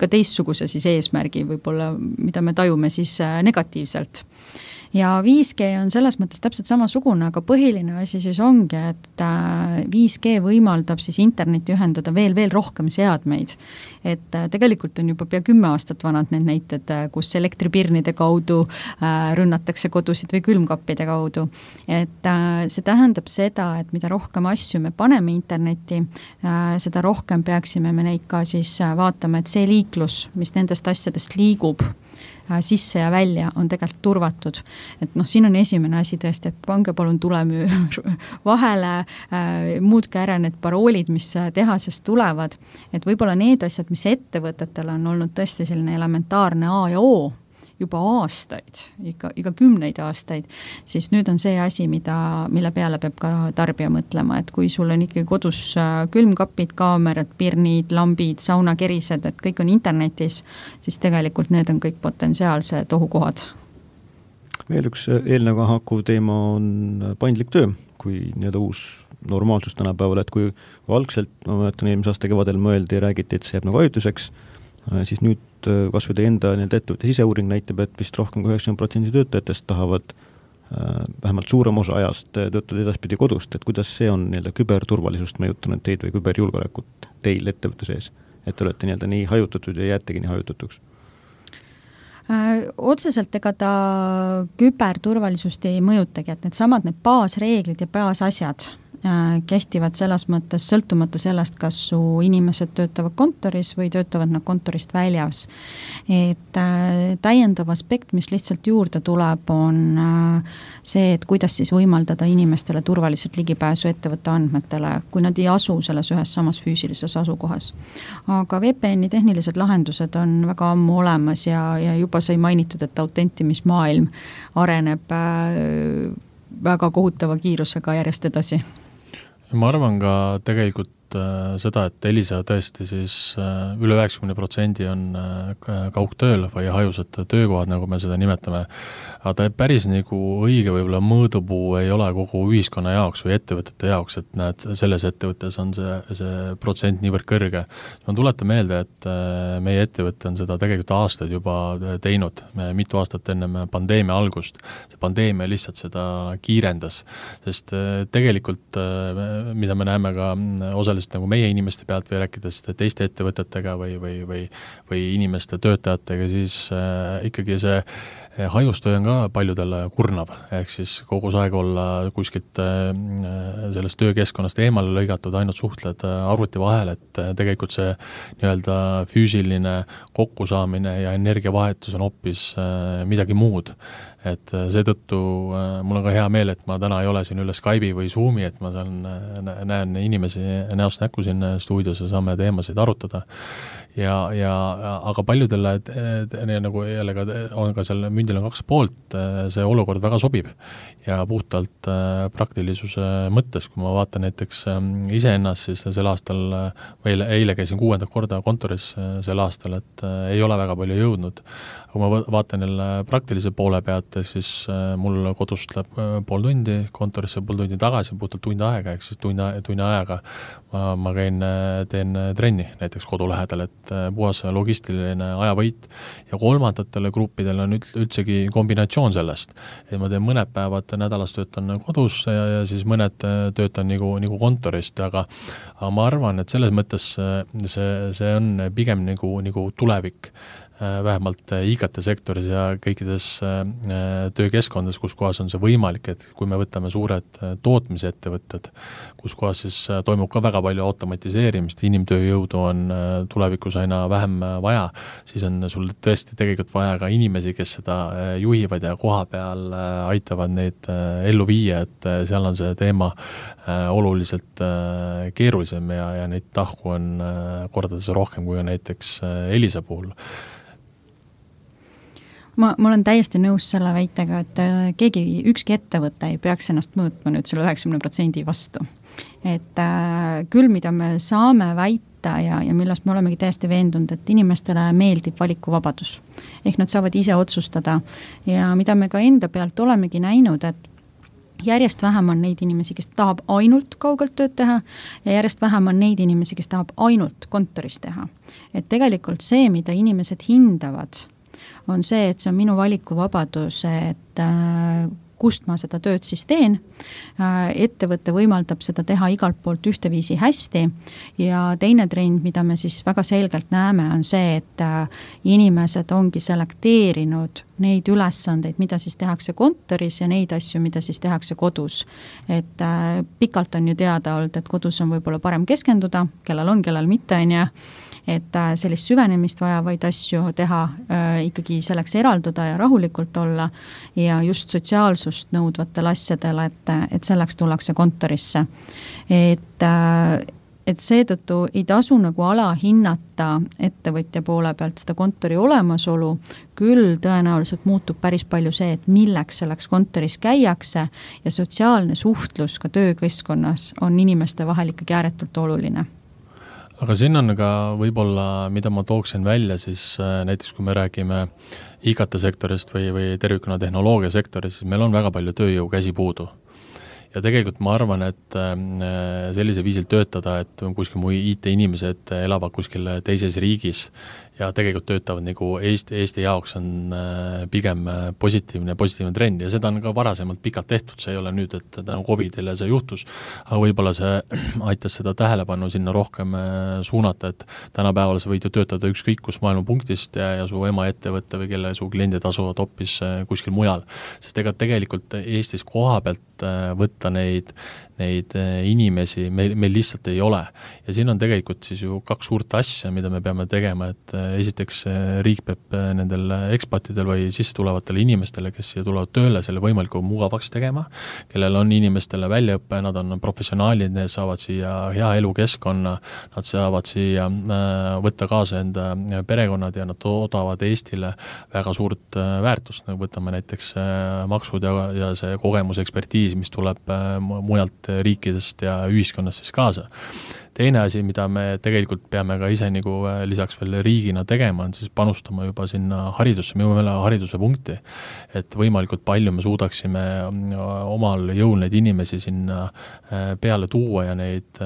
ka teistsuguse siis eesmärgi võib-olla, mida me tajume siis äh, negatiivselt. Ja viis G on selles mõttes täpselt samasugune, aga põhiline asi siis ongi, et viis G võimaldab siis internetti ühendada veel, veel rohkem seadmeid. Et tegelikult on juba pea kümme aastat vanad need näited, kus elektripirnide kaudu rünnatakse kodusid või külmkappide kaudu. Et see tähendab seda, et mida rohkem asju me paneme internetti, seda rohkem peaksime me neid ka siis vaatama, et see liiklus, mis nendest asjadest liigub, sisse ja välja on tegelikult turvatud. Et noh, siin on esimene asi tõesti, et pange palun tulemüür vahele, muutke ära need paroolid, mis tehasest tulevad, et võib-olla need asjad, mis ettevõtetel on olnud tõesti selline elementaarne A ja O, juba aastaid, ikka, iga kümneid aastaid, siis nüüd on see asi, mida, mille peale peab ka tarbija mõtlema, et kui sul on ikkagi kodus külmkapid, kaamerad, pirnid, lambid, saunakerised, et kõik on internetis, siis tegelikult need on kõik potentsiaalsed ohukohad. Veel üks eelneva haakuv teema on paindlik töö, kui nii-öelda uus normaalsus tänapäeval, et kui algselt, ma mäletan, eelmise aasta kevadel mõeldi ja räägiti, et see jääb nagu ajutuseks, siis nüüd kas või teie enda ettevõtte siseuuring näitab, et vist rohkem kui üheksakümmend protsenti töötajatest tahavad äh, vähemalt suurem osa ajast töötada edaspidi kodust, et kuidas see on nii-öelda küberturvalisust mõjutanud teid või küberjulgeolekut teil ettevõtte sees, et te olete nii-öelda nii hajutatud ja jäätegi nii hajutatuks? Äh, otseselt ega ta küberturvalisust ei mõjutagi, et need samad need baasreeglid ja baasasjad kehtivad selles mõttes sõltumata sellest, kas su inimesed töötavad kontoris või töötavad nad kontorist väljas. Et äh, täiendav aspekt, mis lihtsalt juurde tuleb, on äh, see, et kuidas siis võimaldada inimestele turvaliselt ligipääsu ettevõtte andmetele, kui nad ei asu selles ühes samas füüsilises asukohas. Aga V P N-i tehnilised lahendused on väga ammu olemas ja, ja juba sai mainitud, et autentimismaailm areneb äh, väga kohutava kiirusega järjest edasi. Ma arvan ka tegelikult äh, seda, et Elisa tõesti siis äh, üle üheksakümne protsendi on äh, kaugtööl või hajusad töökohad, nagu me seda nimetame. Aga ta päris nagu õige võib-olla mõõdupuu ei ole kogu ühiskonna jaoks või ettevõtete jaoks, et näed, selles ettevõttes on see, see protsent niivõrd kõrge. Ma tuletan meelde, et äh, meie ettevõte on seda tegelikult aastaid juba teinud, me mitu aastat enne pandeemia algust. See pandeemia lihtsalt seda kiirendas, sest äh, tegelikult äh, mida me näeme ka osaliselt nagu meie inimeste pealt või rääkides teiste ettevõtetega või, või, või, või inimeste töötajatega, siis äh, ikkagi see hajustöö on ka paljudele kurnav, ehk siis kogu aeg olla kuskilt äh, sellest töökeskkonnast eemale lõigatud, ainult suhtled arvuti vahel, et tegelikult see nii-öelda füüsiline kokkusaamine ja energiavahetus on hoopis äh, midagi muud. Et seetõttu mul on ka hea meel, et ma täna ei ole siin üle Skype'i või Zoomi, et ma saan, näen inimesi näost näkku siin stuudios ja saame teemasid arutada. Ja, ja, aga paljudele et, et, nagu jälle on ka seal mündil on kaks poolt, see olukord väga sobib ja puhtalt praktilisuse mõttes, kui ma vaatan näiteks iseennast, siis sel aastal, eile, eile käisin kuuendat korda kontoris sel aastal, et ei ole väga palju jõudnud. Kui ma vaatan jälle praktilise poole pealt, siis mul kodust läheb pool tundi, kontorisse pool tundi tagasi, puhtalt tund aega, ehk siis tunni, tunni ajaga ma, ma käin, teen trenni näiteks kodu lähedal, et puhas logistiline ajavõit ja kolmandatele gruppidele on üldsegi kombinatsioon sellest, et ma teen mõned päevad nädalas töötan kodus ja, ja siis mõned töötan nagu, nagu kontorist, aga, aga ma arvan, et selles mõttes see, see on pigem nagu, nagu tulevik, vähemalt I K T-sektoris ja kõikides töökeskkondades, kus kohas on see võimalik, et kui me võtame suured tootmisettevõtted, kus kohas siis toimub ka väga palju automatiseerimist, inimtööjõudu on tulevikus aina vähem vaja, siis on sul tõesti tegelikult vaja ka inimesi, kes seda juhivad ja koha peal aitavad neid ellu viia, et seal on see teema oluliselt keerulisem ja, ja neid tahku on kordades rohkem kui näiteks Elisa puhul. Ma, ma olen täiesti nõus selle väitega, et keegi, ükski ettevõte ei peaks ennast mõõtma nüüd selle üheksakümne protsendi vastu. Et äh, küll, mida me saame väita ja, ja millest me olemegi täiesti veendunud, et inimestele meeldib valikuvabadus. Ehk nad saavad ise otsustada ja mida me ka enda pealt olemegi näinud, et järjest vähem on neid inimesi, kes tahab ainult kaugelt tööd teha ja järjest vähem on neid inimesi, kes tahab ainult kontoris teha. Et tegelikult see, mida inimesed hindavad, on see, et see on minu valikuvabadus, et äh, kust ma seda tööd siis teen. Äh, ettevõte võimaldab seda teha igalt poolt ühteviisi hästi ja teine trend, mida me siis väga selgelt näeme, on see, et äh, inimesed ongi selekteerinud neid ülesandeid, mida siis tehakse kontoris ja neid asju, mida siis tehakse kodus. Et äh, pikalt on ju teada olnud, et kodus on võib-olla parem keskenduda, kellel on, kellel mitte on ja et sellist süvenemist vajavaid asju teha, ikkagi selleks eralduda ja rahulikult olla ja just sotsiaalsust nõudvatel asjadel, et, et selleks tullakse kontorisse. Et et seetõttu ei tasu nagu alahinnata ettevõtja poole pealt seda kontori olemasolu, küll tõenäoliselt muutub päris palju see, et milleks selleks kontoris käiakse ja sotsiaalne suhtlus ka töökeskkonnas on inimeste vahel ikkagi ääretult oluline. Aga siin on ka võib-olla, mida ma tooksin välja, siis näiteks kui me räägime I K T-sektorist või, või tervikuna tehnoloogia sektorist, siis meil on väga palju tööjõu käsi puudu. Ja tegelikult ma arvan, et sellise viisil töötada, et kuskil mu I T-inimesed elavad kuskil teises riigis ja tegelikult töötavad nagu Eesti, Eesti jaoks on pigem positiivne, positiivne trend ja seda on ka varasemalt pikalt tehtud, see ei ole nüüd, et tänu COVIDile see juhtus, aga võib-olla see aitas seda tähelepanu sinna rohkem suunata, et tänapäeval sa võid ju töötada ükskõik kus maailma punktist ja, ja su ema ettevõtte või kelle su kliendid asuvad hoopis kuskil mujal, sest ega tegelikult Eestis koha pealt võtta neid, neid inimesi meil, meil lihtsalt ei ole. Ja siin on tegelikult siis ju kaks suurt asja, mida me peame tegema, et esiteks riik peab nendel ekspatidel või sisse tulevatele inimestele, kes siia tulevad tööle, selle võimalikult mugavaks tegema, kellel on inimestele väljaõppe, nad on professionaalid, need saavad siia hea elukeskkonna, nad saavad siia võtta kaasa enda perekonnad ja nad toodavad Eestile väga suurt väärtust, nagu võtame näiteks maksud ja, ja see kogemus, ekspertiis, mis tuleb mujalt riikidest ja ühiskonnast siis kaasa. Teine asi, mida me tegelikult peame ka ise nagu lisaks veel riigina tegema, on siis panustama juba sinna haridusse, me jõuame hariduse punkti, et võimalikult palju me suudaksime omal jõul neid inimesi sinna peale tuua ja neid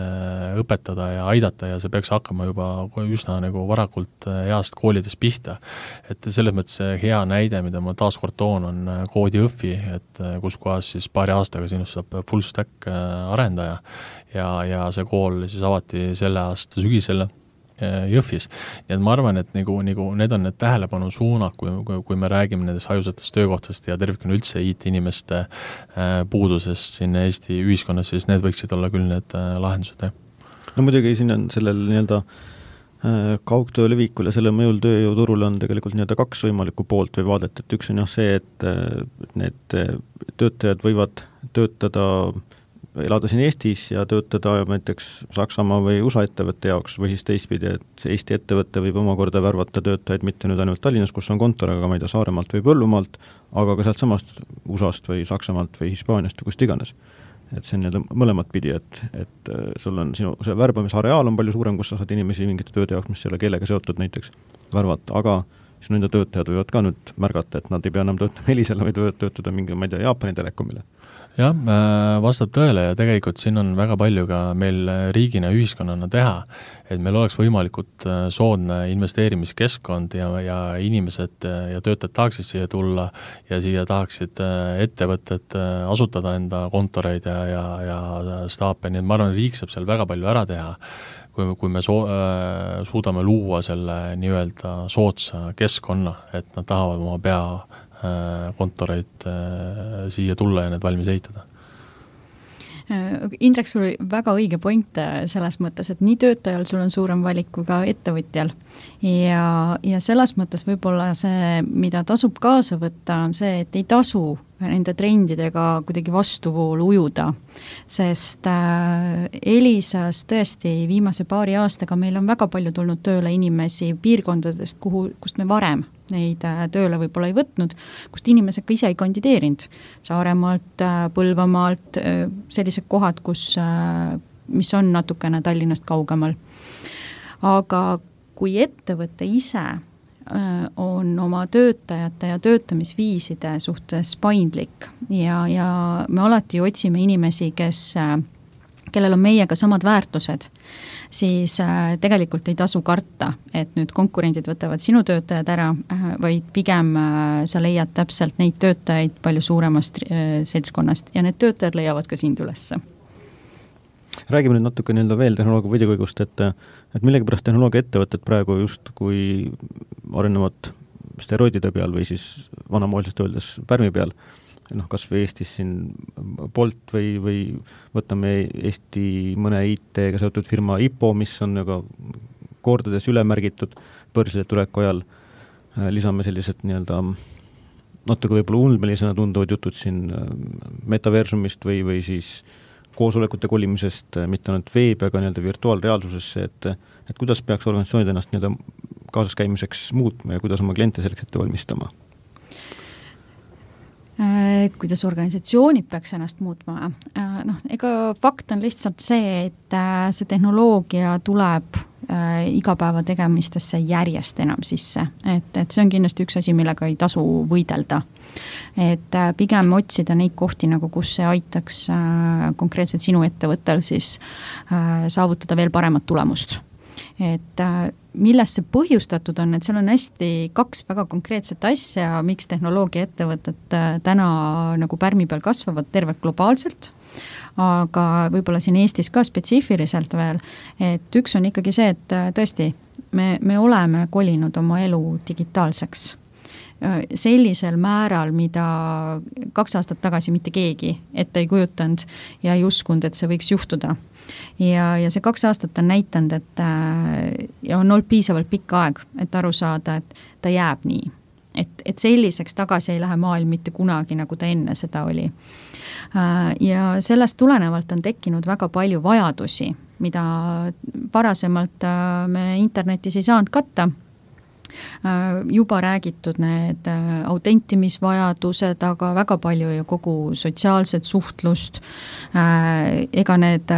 õpetada ja aidata ja see peaks hakkama juba üsna nagu varakult heast koolidest pihta. Et selles mõttes hea näide, mida ma taaskord toon, on koodiõfi, et kus kohas siis paari aastaga sinust saab full stack arendaja ja, ja see kool siis avati selle aasta sügisele Jõhvis. Nii et ma arvan, et nagu, nagu need on need tähelepanu suunad, kui, kui, kui me räägime nendest hajusatest töökohtast ja tervikuna üldse I T-inimeste puudusest siin Eesti ühiskonnas, siis need võiksid olla küll need lahendused. No muidugi siin on sellel nii-öelda kaugtöö levikul ja selle mõjul tööjõuturul on tegelikult nii-öelda kaks võimalikku poolt või vaadet, et üks on jah see, et need töötajad võivad töötada elada siin Eestis ja töötada näiteks Saksamaa või U S A ettevõtte jaoks või siis teistpidi, et Eesti ettevõtte võib omakorda värvata töötajaid mitte nüüd ainult Tallinnas, kus on kontor, aga ma ei tea, Saaremaalt või Põllumaalt, aga ka sealt samast U S A-st või Saksamaalt või Hispaaniast või kust iganes. Et see on nii mõlemat pidi, et, et sul on sinu see värbamisareaal on palju suurem, kus sa saad inimesi mingite tööde jaoks, mis ei ole keelega seotud näiteks värvata, aga sinu enda töötajad võivad ka nüüd märgata, et nad ei pea enam töötama Elisele, vaid võivad töötada mingi, ma ei tea, Jaapani telekomile. Jah, vastab tõele ja tegelikult siin on väga palju ka meil riigina ühiskonnana teha, et meil oleks võimalikult soodne investeerimiskeskkond ja, ja inimesed ja töötajad tahaksid siia tulla ja siia tahaksid ettevõtted asutada enda kontoreid ja, ja, ja staape, nii et ma arvan, riik saab seal väga palju ära teha, kui, kui me so, äh, suudame luua selle nii-öelda soodsa keskkonna, et nad tahavad oma pea kontoreid siia tulla ja need valmis ehitada. Indrek, sul oli väga õige point selles mõttes, et nii töötajal sul on suurem valik kui ka ettevõtjal ja, ja selles mõttes võib-olla see, mida tasub kaasa võtta, on see, et ei tasu nende trendidega kuidagi vastuvoolu ujuda, sest Elisas tõesti viimase paari aastaga meil on väga palju tulnud tööle inimesi piirkondadest, kuhu, kust me varem neid tööle võib-olla ei võtnud, kust inimesed ka ise ei kandideerinud. Saaremaalt, Põlvamaalt, sellised kohad, kus, mis on natukene Tallinnast kaugemal. Aga kui ettevõte ise on oma töötajate ja töötamisviiside suhtes paindlik ja, ja me alati otsime inimesi, kes kellel on meiega samad väärtused, siis tegelikult ei tasu karta, et nüüd konkurendid võtavad sinu töötajad ära, vaid pigem sa leiad täpselt neid töötajaid palju suuremast seltskonnast ja need töötajad leiavad ka sind ülesse. Räägime nüüd natuke nii-öelda veel tehnoloogia võidikõigust, et, et millegipärast tehnoloogia ettevõtted praegu just kui arenevad steroidide peal või siis vanamoeliselt öeldes pärmi peal, noh, kas või Eestis siin Bolt või, või võtame Eesti mõne I T-ga seotud firma I P O, mis on aga kordades ülemärgitud börsile tuleku ajal. Lisame sellised nii-öelda natuke võib-olla ulmelisena tunduvad jutud siin metaversumist või, või siis koosolekute kolimisest, mitte ainult veebi, aga nii-öelda virtuaalreaalsusesse, et, et kuidas peaks organisatsioonid ennast nii-öelda kaasaskäimiseks muutma ja kuidas oma kliente selleks ette valmistama? Kuidas organisatsioonid peaks ennast muutma? Noh, ega fakt on lihtsalt see, et see tehnoloogia tuleb igapäeva tegemistesse järjest enam sisse. Et, et see on kindlasti üks asi, millega ei tasu võidelda. Et pigem otsida neid kohti, nagu kus see aitaks konkreetselt sinu ettevõttel siis saavutada veel paremat tulemust. Et millest see põhjustatud on, et seal on hästi kaks väga konkreetset asja, miks tehnoloogia ettevõtted täna nagu pärmi peal kasvavad tervelt globaalselt, aga võib-olla siin Eestis ka spetsiifiliselt veel, et üks on ikkagi see, et tõesti, me, me oleme kolinud oma elu digitaalseks sellisel määral, mida kaks aastat tagasi mitte keegi ette ei kujutanud ja ei uskunud, et see võiks juhtuda. Ja, ja see kaks aastat on näitanud, et ja on olnud piisavalt pikka aeg, et aru saada, et ta jääb nii. Et, et selliseks tagasi ei lähe maailm mitte kunagi, nagu ta enne seda oli. Ja sellest tulenevalt on tekkinud väga palju vajadusi, mida varasemalt me internetis ei saanud katta. Juba räägitud need autentimisvajadused, aga väga palju ju kogu sotsiaalset suhtlust, ega need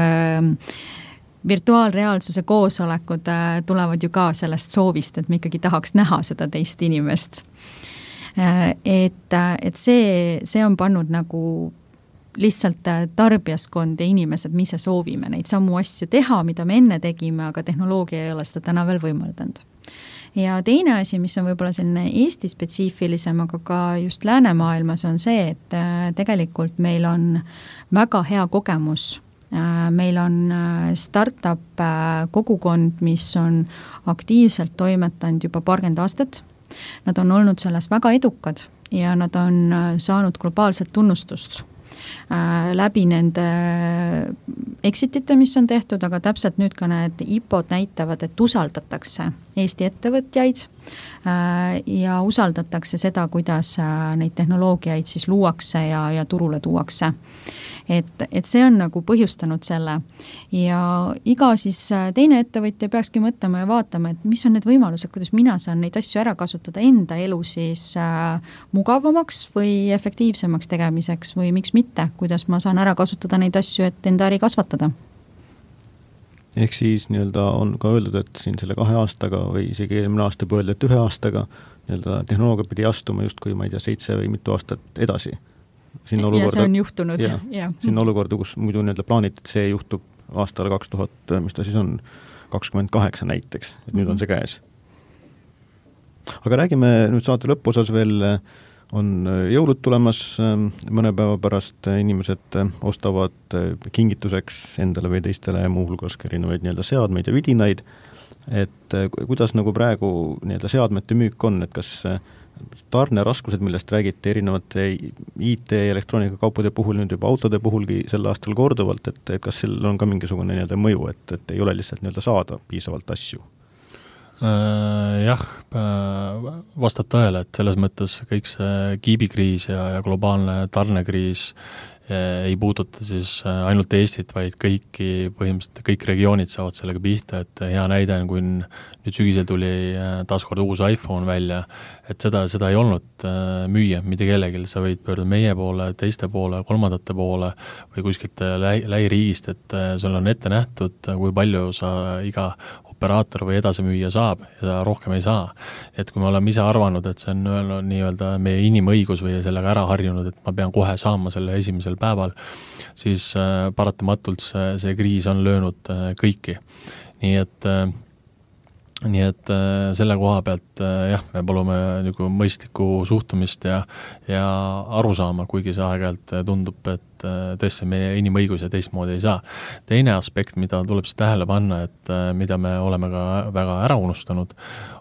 virtuaalreaalsuse koosolekud tulevad ju ka sellest soovist, et me ikkagi tahaks näha seda teist inimest. Et, et see, see on pannud nagu lihtsalt tarbijaskond ja inimesed, mis se soovime neid samu asju teha, mida me enne tegime, aga tehnoloogia ei ole seda täna veel võimaldanud. Ja teine asi, mis on võib-olla selline Eesti spetsiifilisem, aga ka just läänemaailmas on see, et tegelikult meil on väga hea kogemus. Meil on startup kogukond, mis on aktiivselt toimetanud juba paarkümmend aastat. Nad on olnud selles väga edukad ja nad on saanud globaalset tunnustust läbi nende exitite, mis on tehtud, aga täpselt nüüd ka need I P O-d näitavad, et usaldatakse Eesti ettevõtjaid ja usaldatakse seda, kuidas neid tehnoloogiaid siis luuakse ja, ja turule tuuakse. Et, et see on nagu põhjustanud selle ja iga siis teine ettevõtja peakski mõtlema ja vaatama, et mis on need võimalused, kuidas mina saan neid asju ära kasutada enda elu siis mugavamaks või efektiivsemaks tegemiseks või miks mitte, kuidas ma saan ära kasutada neid asju, et enda äri kasvatada. Ehk siis nii-öelda on ka öeldud, et siin selle kahe aastaga või isegi eelmine aasta pöölda, et ühe aastaga nii-öelda tehnoloogia pidi astuma justkui, ma ei tea, seitse või mitu aastat edasi. Siin ja see on juhtunud. Ja, ja. Siin olukorda, kus muidu nii-öelda plaanid, et see juhtub aastal kaks tuhat, mis ta siis on, kakskümmend kaheksa näiteks, et nüüd on see käes. Aga räägime nüüd saate lõpuosas veel, on jõulud tulemas, mõne päeva pärast inimesed ostavad kingituseks endale või teistele muuhulgas erinevaid nii-öelda seadmeid ja vidinaid, et kuidas nagu praegu nii-öelda seadmete müük on, et kas tarneraskused, millest räägiti erinevate I T ja elektroonikakaupade puhul, nüüd juba autode puhulgi sel aastal korduvalt, et kas seal on ka mingisugune nii-öelda mõju, et, et ei ole lihtsalt nii-öelda saada piisavalt asju? Jah, vastab tõele, et selles mõttes kõik see kiibikriis ja, ja globaalne tarnekriis ei puuduta siis ainult Eestit, vaid kõiki, põhimõtteliselt kõik regioonid saavad sellega pihta, et hea näide on, kui nüüd sügisel tuli taaskord uus iPhone välja, et seda, seda ei olnud müüa mitte kellelgi, sa võid pöörda meie poole, teiste poole, kolmandate poole või kuskilt läi, lähiriigist, et sul on ette nähtud, kui palju sa iga operaator või edasimüüja saab ja rohkem ei saa. Et kui me oleme ise arvanud, et see on öelnud, nii-öelda meie inimõigus või sellega ära harjunud, et ma pean kohe saama selle esimesel päeval, siis paratamatult see, see kriis on löönud kõiki. Nii et, nii et selle koha pealt jah, me palume nagu mõistlikku suhtumist ja, ja aru saama, kuigi see aeg-ajalt tundub, et et tõesti meie inimõigus ja teistmoodi ei saa. Teine aspekt, mida tuleb siis tähele panna, et mida me oleme ka väga ära unustanud,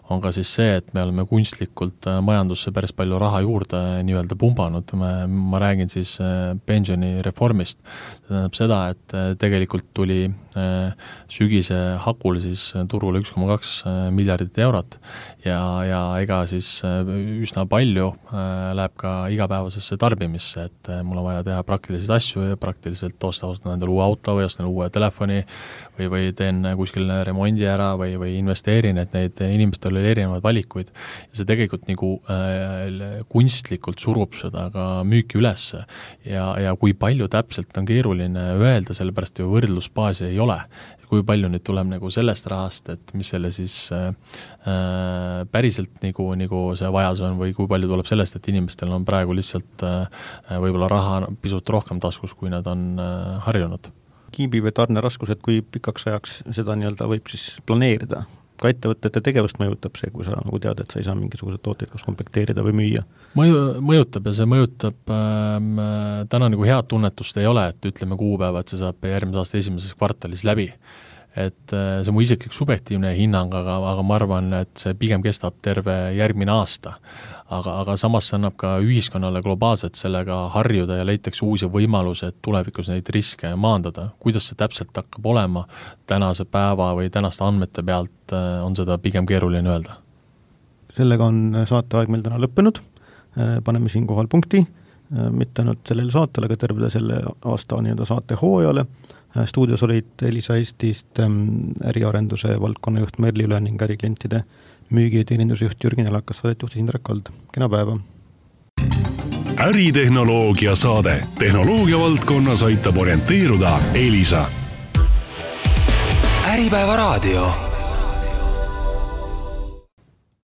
on ka siis see, et me oleme kunstlikult majandusse päris palju raha juurde nii-öelda pumbanud. Ma, ma räägin siis pensionireformist. See tähendab seda, et tegelikult tuli sügise hakul siis turule üks koma kaks miljardit eurot ja, ja ega siis üsna palju läheb ka igapäevasesse tarbimisse, et mul on vaja teha praktilisi asju ja praktiliselt osta, ostan endale uue auto või ostan uue telefoni või, või teen kuskil remondi ära või, või investeerin, et neid inimestel oli erinevaid valikuid ja see tegelikult nagu äh, kunstlikult surub seda ka müüki ülesse ja, ja kui palju täpselt on keeruline öelda, sellepärast ju võrdlusbaasi ei ole. Kui palju nüüd tuleb nagu sellest rahast, et mis selle siis äh, päriselt nagu, nagu see vajadus on või kui palju tuleb sellest, et inimestel on praegu lihtsalt äh, võib-olla raha pisut rohkem taskus, kui nad on äh, harjunud. Kiibi või tarne raskused, kui pikaks ajaks seda nii-öelda võib siis planeerida? Ka ettevõtete tegevust mõjutab see, kui sa nagu tead, et sa ei saa mingisugused tooteid kas komplekteerida või müüa? Mõju, mõjutab ja see mõjutab ähm, täna nagu head tunnetust ei ole, et ütleme kuupäeva, et see saab järgmise aasta esimeses kvartalis läbi. Et äh, see on mu isiklik subjektiivne hinnang, aga, aga ma arvan, et see pigem kestab terve järgmine aasta. Aga, aga samas see annab ka ühiskonnale globaalselt sellega harjuda ja leitakse uusi võimalusi, et tulevikus neid riske maandada. Kuidas see täpselt hakkab olema tänase päeva või tänaste andmete pealt, on seda pigem keeruline öelda. Sellega on saateaeg meil täna lõppenud. Paneme siin kohal punkti, mitte ainult sellele saatele, aga tervele selle aasta nii-öelda saate hooajale. Stuudios olid Elisa Eestist äriarenduse valdkonnajuht Merli Üle ning äriklientide müügi- ja teenindusjuht Jürgen Elakas, saadetjuht Indrek Kald. Kena päeva! Äritehnoloogia saade. Tehnoloogia valdkonnas aitab orienteeruda Elisa. Äripäeva raadio.